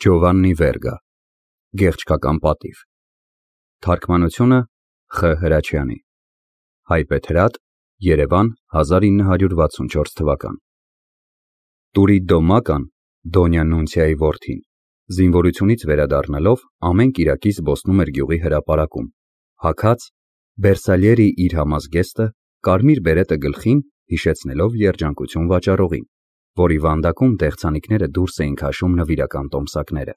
Ջովաննի Վերգա, Գեղչքական պատիվ, Թարգմանությունը Խ. Հրաչյանի, Հայբեթրատ, Երևան 1964 թվական։ Տուրիդո Մական, Դոնյա Նունցիայի որդին, զինվորությունից վերադառնալով ամեն կիրակի զբոսնում էր գյուղի հրապարակում, հագած Բերսալիերի իր համազգեստը, կարմիր բերետը գլխին հիշեցնելով երջանկություն վաճառողին, որի վանդակում դեղցանիկները դուրս էին քաշում նվիրական տոմսակները։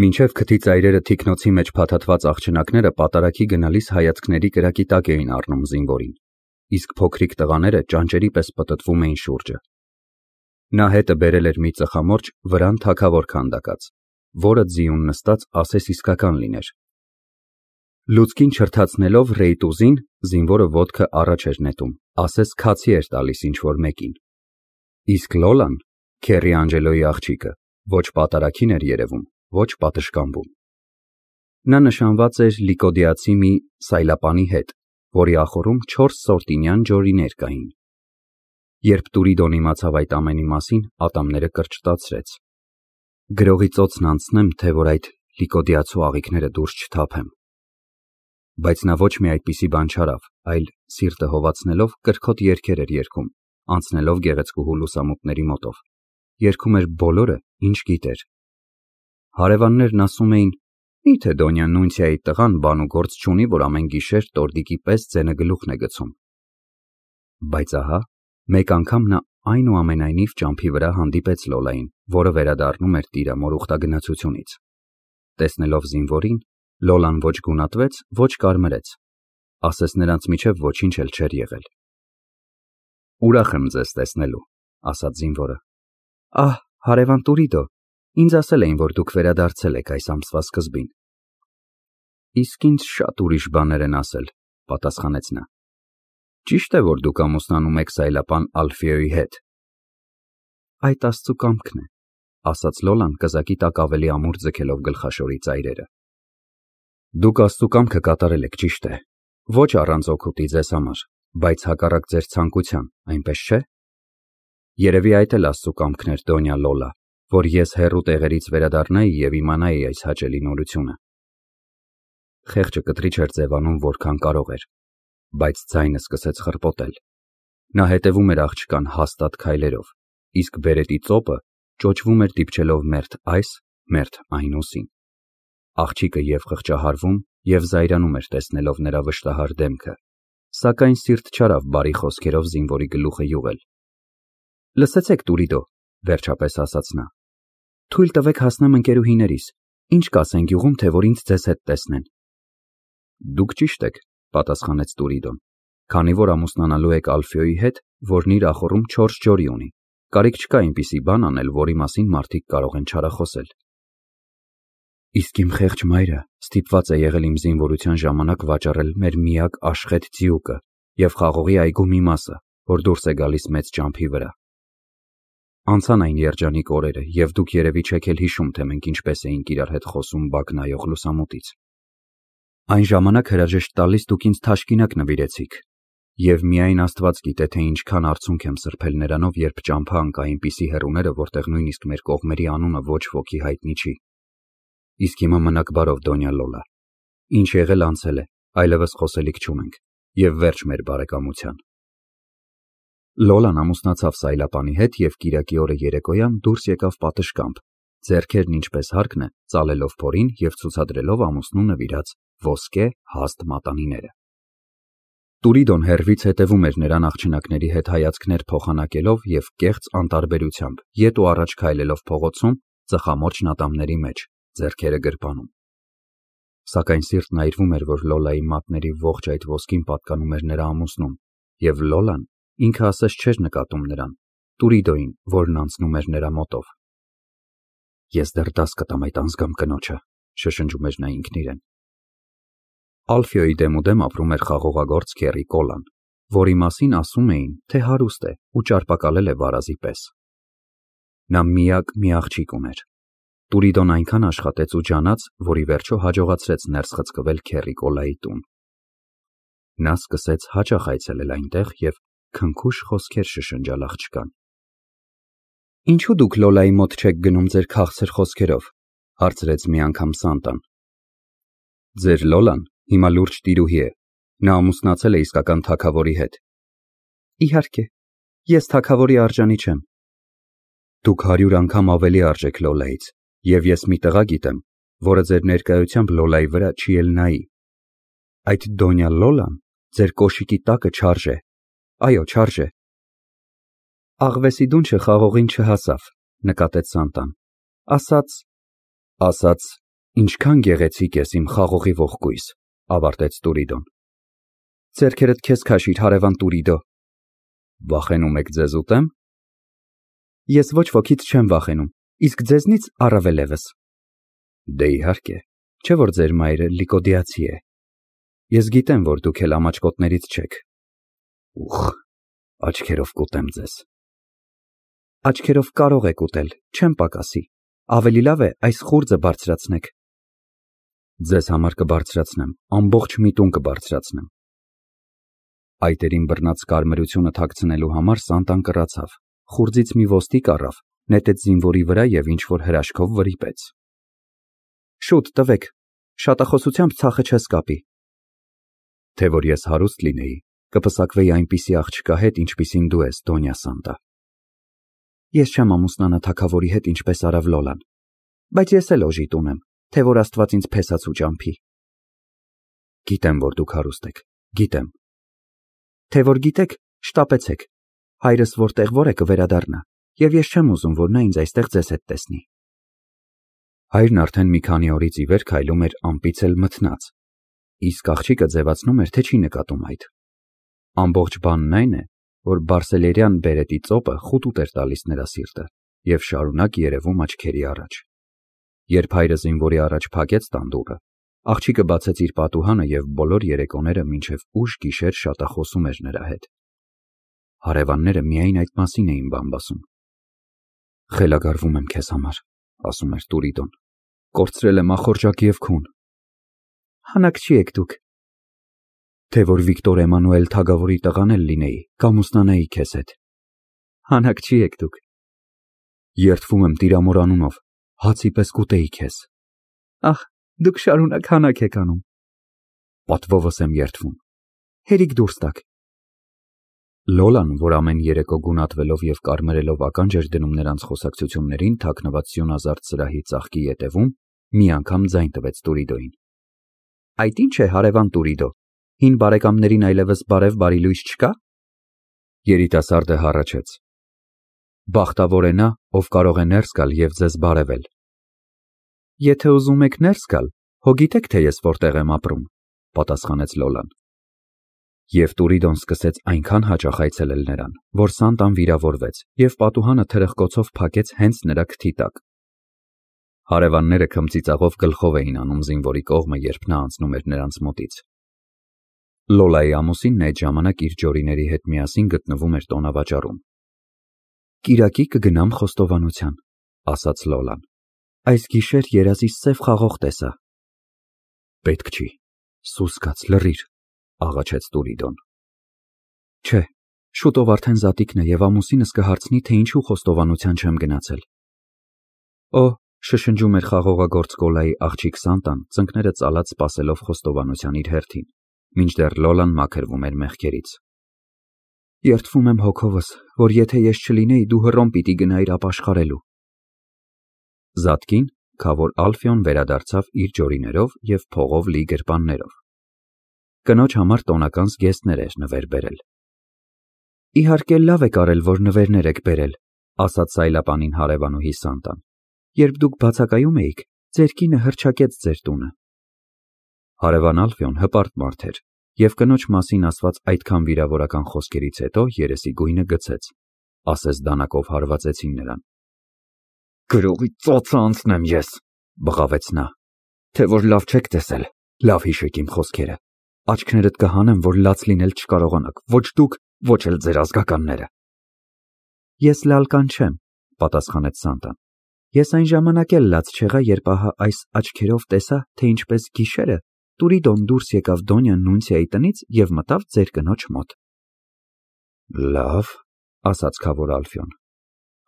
Մինչև քթի ծայրերը թիկնոցի մեջ փաթաթված աղջնակները պատարագի գնալիս հայացքների կրակի տակ էին առնում զինվորին, իսկ փոքրիկ տղաները ճանճերի պես պտտվում էին շուրջը։ Նա հետը բերել էր մի ծխամորճ վրան թագավոր քանդակած, որը ձիուն նստած ասես իսկական լիներ։ Լուցկին չրթացնելով ռեյտուզին, զինվորը ոտքը առաջ էր նետում, ասես քացի էր տալիս ինչ-որ մեկին։ Իսկ Լոլան, Քերի Անջելոյի աղջիկը, ոչ պատարագին էր երևում, ոչ պատշգամբում։ Նա նշանված էր լիկոդիացի մի սայլապանի հետ, որի ախորում 4 սորտինյան ջորիներ կային։ Երբ Տուրիդոն իմացավ այդ ամենի մասին, ատամները կրճտացրեց։ Գրողի ծոցն անցնեմ, թե որ այդ լիկոդիացու աղիքները դուրս չթափեմ։ Բայց նա ոչ մի այդպիսի բան չարավ, այլ սիրտը հովացնելով կրքոտ երգեր էր երգում, անցնելով գեղեցկուհու լուսամուտների մոտով, երգում էր բոլորը, ինչ գիտեր։ Հարևաններն ասում էին. «Միթե Դոնյա Նունցիայի տղան բան ու գործ չունի, որ ամեն գիշեր տորդիկի պես ձենը գլուխն է գցում»։ Բայց ահա, մեկ անգամ նա այնուամենայնիվ ճամփի վրա հանդիպեց Լոլային, որը վերադառնում էր տիրամոր ուխտագնացությունից։ Տեսնելով զինվորին, Լոլան ոչ գունատվեց, ոչ կարմրեց, ասես նրանց միջև ոչինչ էլ չէր եղել։ «Ուրախ եմ ձեզ տեսնելու», ասաց զինվորը։ «Ահ, հարևան Տուրիդո, ինձ ասել էին, որ դուք վերադարձել եք այս ամսվա սկզբին»։ «Իսկ ինձ շատ ուրիշ բաներ են ասել», պատասխանեց նա։ «Ճիշտ է, որ դուք ամուսնանում եք սայլապան Ալֆիոյի հետ»։ «Այդ Աստծու կամքն է», ասաց Լոլան կզակի տակ ավելի ամուր ձգելով գլխաշորի ծայրերը։ «Դուք Աստծու կամքը կատարել եք, ճիշտ է, ոչ առանց օգուտի ձեզ համար, բայց հակառակ ձեր ցանկության, այնպես չէ՞։ Երևի այդ էլ Աստծու կամքն էր, Դոնյա Լոլա, որ ես հեռու տեղերից վերադառնայի և իմանայի այս հաճելի նորությունը»։ Խեղճը կտրիչ էր ձևանում որքան կարող էր, բայց ձայնը սկսեց խռպոտել։ Նա հետևում էր աղջկան հաստատ քայլերով, իսկ բերետի ծոպը ճոճվում էր դիպչելով մերթ այս, մերթ այն ուսին։ Աղջիկը և խղճահարվում, և զայրանում էր տեսնելով նրա վշտահար դեմքը, սակայն սիրտ չարավ բարի խոսքերով զինվորի գլուխը յուղել։ «Լսեցեք, Տուրիդո», վերջապես ասաց նա, «թույլ տվեք հասնեմ ընկերուհիներիս, ինչ կասեն գյուղում, թե որ ինձ ձեզ հետ տեսնեն»։ «Դուք ճիշտ եք», պատասխանեց Տուրիդոն, «քանի որ ամուսնանալու եք Ալֆիոյի հետ, որն իր ախորում 4 ջորի ունի, կարիք չկա այնպիսի բան անել, որի մասին մարդիկ կարող են չարախոսել»։ «Իսկ իմ խեղճ մայրը ստիպված է եղել իմ զինվորության ժամանակ վաճառել մեր միակ աշխեթ ձիուկը և խաղողի այգու մի մասը, որ դուրս է գալիս մեծ ճամփի վրա։ Անցան այն երջանիկ օրերը, և դուք երևի չեք էլ հիշում, թե մենք ինչպես էինք իրար հետ խոսում բակ նայող լուսամուտից։ Այն ժամանակ հրաժեշտ տալիս դուք ինձ թաշկինակ նվիրեցիք, և միայն Աստված գիտե, թե ինչքան արցունք եմ սրբել նրանով, երբ ճամփա ընկա այնպիսի հեռուները, որտեղ նույնիսկ մեր կողմերի անունը ոչ ոքի հայտնի չի։ Իսկ հիմա մնաք բարով, Դոնյա Լոլա, ինչ եղել անցել է, այլևս խոսելիք չունենք, և վերջ մեր բարեկամության»։ Լոլան ամուսնացավ սայլապանի հետ և կիրակի օրը երեկոյան դուրս եկավ պատշգամբ, ձեռքերն ինչպես հարկն է, ծալելով փորին և ցուցադրելով ամուսնու նվիրած ոսկե հաստ մատանիները։ Տուրիդոն հեռվից հետևում էր նրան աղջնակների հետ հայացքներ փոխանակելով և կեղծ անտարբերությամբ ետ ու առաջ քայլելով փողոցում, ծխամորճն ատամների մեջ, ձեռքերը գրպանում։ Սակայն սիրտն այրվում էր, որ Լոլայի մատների ողջ այդ ոսկին պատկանում էր նրա ամուսնուն, և Լոլան ինքը ասես չէր նկատում նրան, Տուրիդոյին, որն անցնում էր նրա մոտով։ «Ես դեռ դաս կտամ այդ անձգամ կնոջը», շշնջում էր նա ինքն իրեն։ Ալֆիոյի դեմուդեմ ապրում էր խաղողագործ Քերի Կոլան, որի մասին ասում էին, թե հարուստ է ու ճարպակալել է վարազի պես։ Նա միակ մի աղջիկ ուներ։ Տուրիդոն այնքան աշխատեց ու ջանաց, որ ի վերջո հաջողացրեց ներս խցկվել Քերի Կոլայի տուն։ Նա սկսեց հաճախ այցելել այնտեղ և քնքուշ խոսքեր շշնջալ աղջկան։ Ինչու դուք Լոլայի մոտ չեք գնում ձեր քաղցր խոսքերով, հարցրեց մի անգամ Սանտան։ Ձեր Լոլան հիմա լուրջ տիրուհի է, նա ամուսնացել է իսկական թագավորի հետ։ Իհարկե, ես թագավորի արժանի չեմ։ Դուք 100 անգամ ավելի արժ եք Լոլայից, եւ ես մի տղա գիտեմ, որը ձեր ներկայությամբ Լոլայի վրա չի էլ նայի։ Այդ Դոնյա Լոլան ձեր կոշիկի տակը չարժ է, այո, չարժ է։ Աղվեսի դունչը խաղողին չհասավ, նկատեց Սանտան, ասաց, ինչքան գեղեցիկ ես իմ խաղողի ողկույզ, ավարտեց Տուրիդոն։ Ձերքերդ քեզ քաշիր, հարևան Տուրիդո։ Վախենում եք ձեզ ուտեմ։ Ես ոչ ոքից չեմ վախենում, իսկ ձեզնից առավել եւս։ Դե իհարկե, չէ՞ որ ձեր մայրը լիկոդիացի է։ Ես գիտեմ, որ դուք էլ ամաչկոտներից չեք։ Ուխ, աչքերով կուտեմ ձեզ։ Աչքերով կարող եք ուտել, չեմ պակասի։ Ավելի լավ է այս խուրձը բարձրացնեք։ Ձեզ համար կբարձրացնեմ, ամբողջ մի տուն կբարձրացնեմ։ Այտերին բռնած կարմրությունը թաքցնելու համար Սանտան կռացավ, խուրձից մի ոստիկ առավ, նետեց զինվորի վրա եւ ինչ-որ հրաշքով վրիպեց։ Շուտ տվեք, շատախոսությամբ ցախը չես կապի։ Թե որ ես հարուստ լինեի, կպսակվեի այնպիսի աղջկա հետ, ինչպիսին դու ես, Դոնյա Սանտա։ Ես չեմ ամուսնանա թագավորի հետ, ինչպես արավ Լոլան, բայց ես էլ օժիտ ունեմ, թե որ Աստված ինձ փեսացու ճամփի։ Գիտեմ, որ դուք հարուստ եք, գիտեմ։ Թե որ գիտեք, շտապեցեք, հայրս որ է կվերադառնա, եւ ես չեմ ուզում, որ նա ինձ այստեղ ձեզ հետ տեսնի։ Հայրն արդեն մի քանի օրից ի վեր քայլում էր ամպից էլ մթնած, իսկ աղջիկը ձևացնում էր, թե չի նկատում այդ։ Ամբողջ բանն այն է, որ բարսելերյան բերետի ծոպը խուտուտ էր տալիս նրա սիրտը եւ շարունակ երևում աչքերի առաջ։ Երբ հայրը զինվորի առաջ փակեց տանդուռը, աղջիկը բացեց իր պատուհանը եւ բոլոր երեկոները մինչև ուշ գիշեր շատախոսում էր նրա հետ։ Հարևանները միայն այդ մասին էին բամբասում։ Խելագարվում եմ քեզ համար, ասում էր Տուրիդոն։ Կորցրել եմ ախորժակ եւ քուն։ Հանակչի եք դուք։ Թե որ Վիկտոր Էմանուել թագավորի տղան էլ լինեի, կամուսնանայի քեզ հետ։ Հանակչի եք դուք։ Երդվում եմ Տիրամոր անունով, հացի պես կուտեի քեզ։ Ահ, դուք շարունակ հանակ եք անում։ Պատվովս եմ երդվում։ Հերիք դուրս տաք։ Լոլան, որ ամեն երեկո գունատվելով եւ կարմրելով ականջ էր դնում նրանց խոսակցություններին թաքնված սյունազարդ սրահի ծաղկի ետևում, մի անգամ ձայն տվեց Տուրիդոին։ Այդ ի՞նչ է, հարևան Տուրիդո, հին բարեկամներին այլևս բարի լույս չկա։ Երիտասարդը հառաչեց։ Բախտավոր է նա, ով կարող է ներս գալ եւ ձեզ բարևել։ Եթե ուզում եք ներս գալ, հո գիտեք, թե ես որտեղ եմ ապրում, պատասխանեց Լոլան։ Եվ Տուրիդոն սկսեց այնքան հաճախ այցելել նրան, որ Սանտան վիրավորվեց եւ պատուհանը թրխկոցով փակեց հենց նրա քթի տակ։ Հարևանները քմծիծաղով գլխով էին անում զինվորի կողմը, երբ նա անցնում էր նրանց մոտից։ Լոլայի ամուսինն այդ ժամանակ իր ջորիների հետ միասին գտնվում էր տոնավաճառում։ Կիրակի կգնամ խոստովանության, ասաց Լոլան։ Այս գիշեր երազիս սև խաղող տեսա։ Պետք չի, սուս կաց լռիր, աղաչեց Տուրիդոն։ Չէ, շուտով արդեն զատիկն է եւ ամուսինս կհարցնի, թե ինչու խոստովանության չեմ գնացել։ Օ, շշնջում էր խաղողագործ Կոլայի աղջիկ Սանտան, ծնկները ծալած սպասելով խոստովանության իր հերթին, մինչդեռ Լոլան մաքրվում էր մեղքերից։ Երդվում եմ հոգովս, որ եթե ես չլինեի, դու հռոմ պիտի գնայիր ապաշխարելու։ Զատկին, քավոր Ալֆիոն վերադարձավ իր ջորիներով եւ փողով լի գրպաններով։ Կնոջ համար տոնական զգեստներ էր նվեր բերել։ Իհարկե լավ եք արել, որ նվերներ եք բերել, ասաց սայլապանին հարևանուհի Սանտան։ Երբ դուք բացակայում էիք, ձեր կինը հռչակեց ձեր տունը։ Հարևան Ալֆիոն հպարտ մարդ էր եւ կնոջ մասին ասված այդքան վիրավորական խոսքերից հետո երեսի գույնը գցեց, ասես դանակով հարվածեցին նրան։ Գրողի ծոցը անցնեմ ես, բղավեց նա, թե որ լավ չեք տեսել, լավ հիշեք իմ խոսքերը, աչքներդ կհանեմ, որ լաց լինել չկարողանաք, ոչ դուք, ոչ էլ ձեր ազգականները։ Ես լալկան չեմ, պատասխանեց Սանտան, ես այն ժամանակ էլ լաց չեղա, երբ ահա այս աչքերով տեսա, թե ինչպես գիշերը Տուրիդոն դուրս եկավ Դոնյա Նունցիայի տնից եւ մտավ ձեր կնոջ մոտ։ Լավ, ասաց քավոր Ալֆիոն,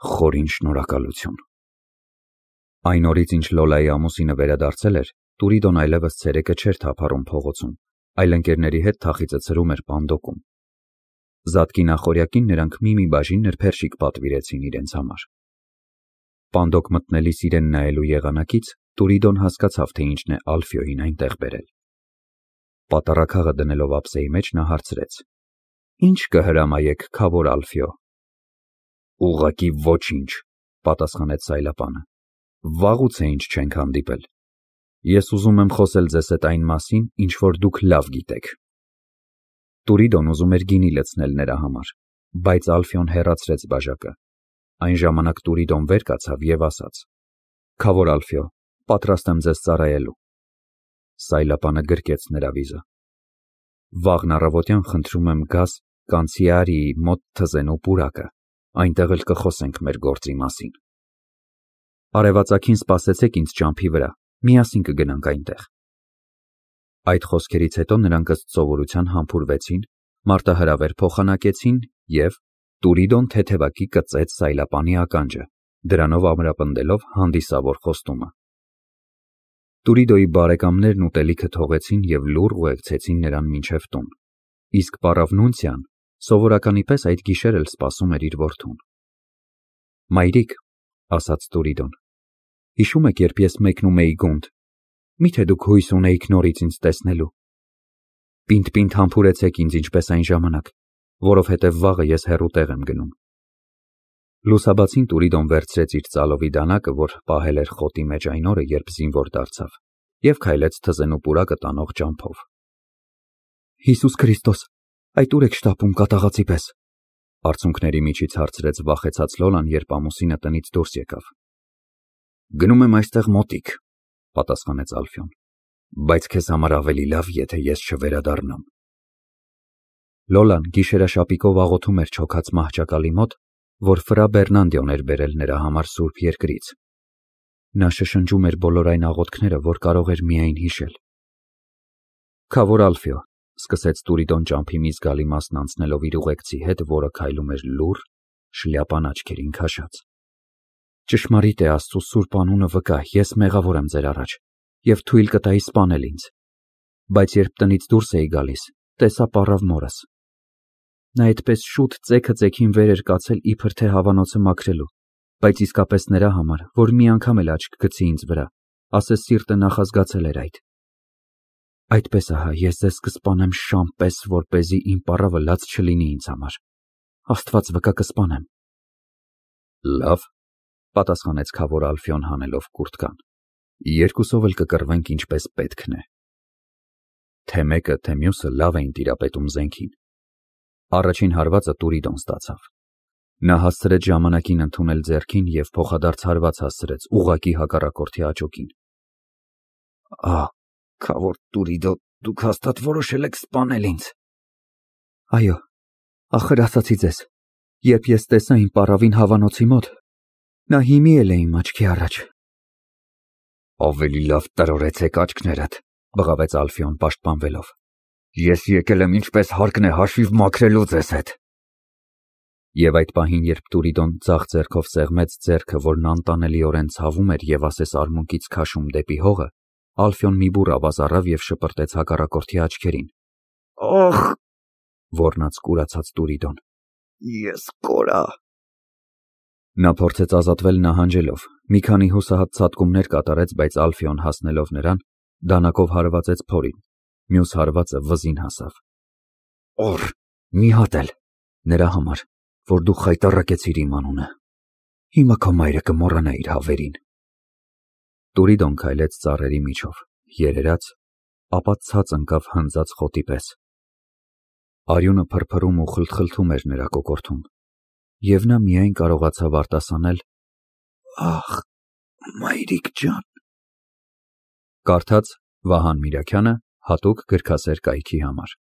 Խորին շնորհակալություն։ Այն օրից, ինչ Լոլայի ամուսինը վերադարձել էր, Տուրիդոն այլևս ցերեկը չէր թափառում փողոցում, այլ ընկերների հետ թախիծը ցրում էր Պանդոկում։ Զատկի նախօրյակին նրանք մի բաժին նրբերշիկ պատվիրեցին իրենց համար։ Պանդոկ մտնելիս իրեն նայելու եղանակից Տուրիդոն հասկացավ, թե ինչն է Ալֆիոյին այնտեղ բերել։ Պատառաքաղը դնելով ափսեի մեջ նա հարցրեց. «Ինչ կհրամայեք, քավոր Ալֆիո»։ «Ուղղակի ոչինչ», պատասխանեց Սայլապանը։ «Վաղուց է ինչ չենք հանդիպել։ Ես ուզում եմ խոսել ձեզ հետ այն մասին, ինչ որ դուք լավ գիտեք»։ Տուրիդոն ուզում էր գինի լցնել նրա համար, բայց Ալֆիոն հեռացրեց բաժակը։ Այն ժամանակ Տուրիդոն վեր կացավ եւ ասաց. «Քավոր Ալֆիո, պատրաստ եմ ձեզ ծառայելու»։ Սայլապանը գրկեց նրա վիզը։ «Վաղն առավոտյան խնդրում եմ գաս Կանցիարիի մոտ թզենու պուրակը, այնտեղ էլ կխոսենք մեր գործի մասին։ Արևածագին սպասեցեք ինձ ճամփի վրա, միասին կգնանք այնտեղ»։ Այդ խոսքերից հետո նրանք ըստ սովորության համբուրվեցին, մարտահրավեր փոխանակեցին եւ Տուրիդոն թեթևակի կծեց Սայլապանի ականջը, դրանով ամրապնդելով հանդիսավոր խոստումը։ Տուրիդոյի բարեկամներն ուտելիքը թողեցին եւ լուռ ուղեկցեցին նրան մինչև տուն, իսկ Պարավնունցիան սովորականի պես այդ գիշեր էլ սպասում էր իր որդուն։ «Մայրիկ», ասաց Տուրիդոն, «հիշում եք, երբ ես մեկնում էի գունդ, միթե դուք հույս ունեիք նորից ինձ տեսնելու։ Պինդ համբուրեցեք ինձ ինչպես այն ժամանակ, որովհետև վաղը ես հեռու տեղ եմ գնում»։ Լուսաբացին Տուրիդոն վերցրեց իր ծալովի դանակը, որ պահել էր խոտի մեջ այն օրը, երբ զինվոր դարձավ, եւ քայլեց թզենու պուրակը տանող ճամփով։ «Հիսուս Քրիստոս, այդ ուր եք շտապում կատաղածի պես», արցունքների միջից հարցրեց վախեցած Լոլան, երբ ամուսինը տնից դուրս եկավ։ «Գնում եմ այստեղ մոտիկ», պատասխանեց Ալֆիոն, «բայց քեզ համար ավելի լավ, եթե ես չվերադառնամ»։ Լոլան գիշերաշապիկով աղոթում էր չոքած մահճակալի մոտ, որ Ֆրա Բեռնանդիոն էր բերել նրա համար Սուրբ Երկրից։ Նա շշնջում էր բոլոր այն աղոթքները, որ կարող էր միայն հիշել։ «Քավոր Ալֆիո», սկսեց Տուրիդոն ճամփի մի զգալի մասն անցնելով իր ուղեկցի հետ, որը քայլում էր լուռ, շլյապան աչքերին քաշած։ «Ճշմարիտ է Աստծո սուրբ անունը վկա, ես մեղավոր եմ ձեր առաջ եւ թույլ կտայի սպանել ինձ, բայց երբ տնից դուրս էի գալիս, տեսա պառավ մորս։ Նա այդպես շուտ ծեքը ծեքին վեր էր կացել իբր թե հավանոցը մաքրելու, բայց իսկապես նրա համար, որ մի անգամ էլ աչք գցի ինձ վրա, ասես սիրտը նախազգացել էր այդ։ Այդպես ահա ես ձեզ կսպանեմ շան պես, որպեսզի իմ պառավը լաց չլինի ինձ համար։ Աստված վկա կսպանեմ»։ «Լավ», պատասխանեց քավոր Ալֆիոն հանելով կուրտկան, «երկուսով էլ կկռվենք ինչպես պետքն է»։ Թե մեկը, թե մյուսը լավ էին տիրապետում զենքին։ Առաջին հարվածը Տուրիդոն ստացավ։ Նա հասցրեց ժամանակին ընդունել ձեռքին եւ փոխադարձ հարված հասցրեց ուղղակի հակառակորդի աճոկին։ «Քավոր Տուրիդո, դուք հաստատ որոշել եք սպանել ինձ»։ «Այո, ախր ասացի ձեզ, երբ ես տեսա իմ պառավին հավանոցի մոտ, նա հիմի էլ է իմ աչքի առաջ»։ «Ավելի լավ տրորեցեք աչքներդ», բղավեց Ալֆիոն պաշտպանվելով։ «Ես եկել եմ ինչպես հարկն է հաշիվ մաքրելու ձեզ հետ»։ Եվ այդ պահին, երբ Տուրիդոն ձախ ձեռքով սեղմեց ձեռքը, որն անտանելիորեն ցավում էր եւ ասես արմունկից քաշում դեպի հողը, Ալֆիոն մի բուռ ավազ առավ եւ շպրտեց հակառակորդի աչքերին։ «Ախ», ոռնաց կուրացած Տուրիդոն, «ես կորա»։ Նա փորձեց ազատվել նահանջելով, մի քանի հուսահատ ցատկումներ կատարեց, բայց Ալֆիոն հասնելով նրան, դանակով հարվածեց փորին, մյուս հարվածը վզին հասավ։ «Օր, մի հատ էլ, նրա համար, որ դու խայտառակեցիր իմ անունը։ Հիմա քո մայրը կմոռանա իր հավերին»։ Տուրիդոն քայլեց ծառերի միջով, երերաց, ապա ցած ընկավ հնձած խոտի պես։ Արյունը փրփրում ու խլթխլթում էր նրա կոկորդում, եւ նա միայն կարողացավ արտասանել. «Ախ, մայրիկ ջան»։ Կարդաց Վահան Միրաքյանը հատուկ գրքասեր կայքի համար։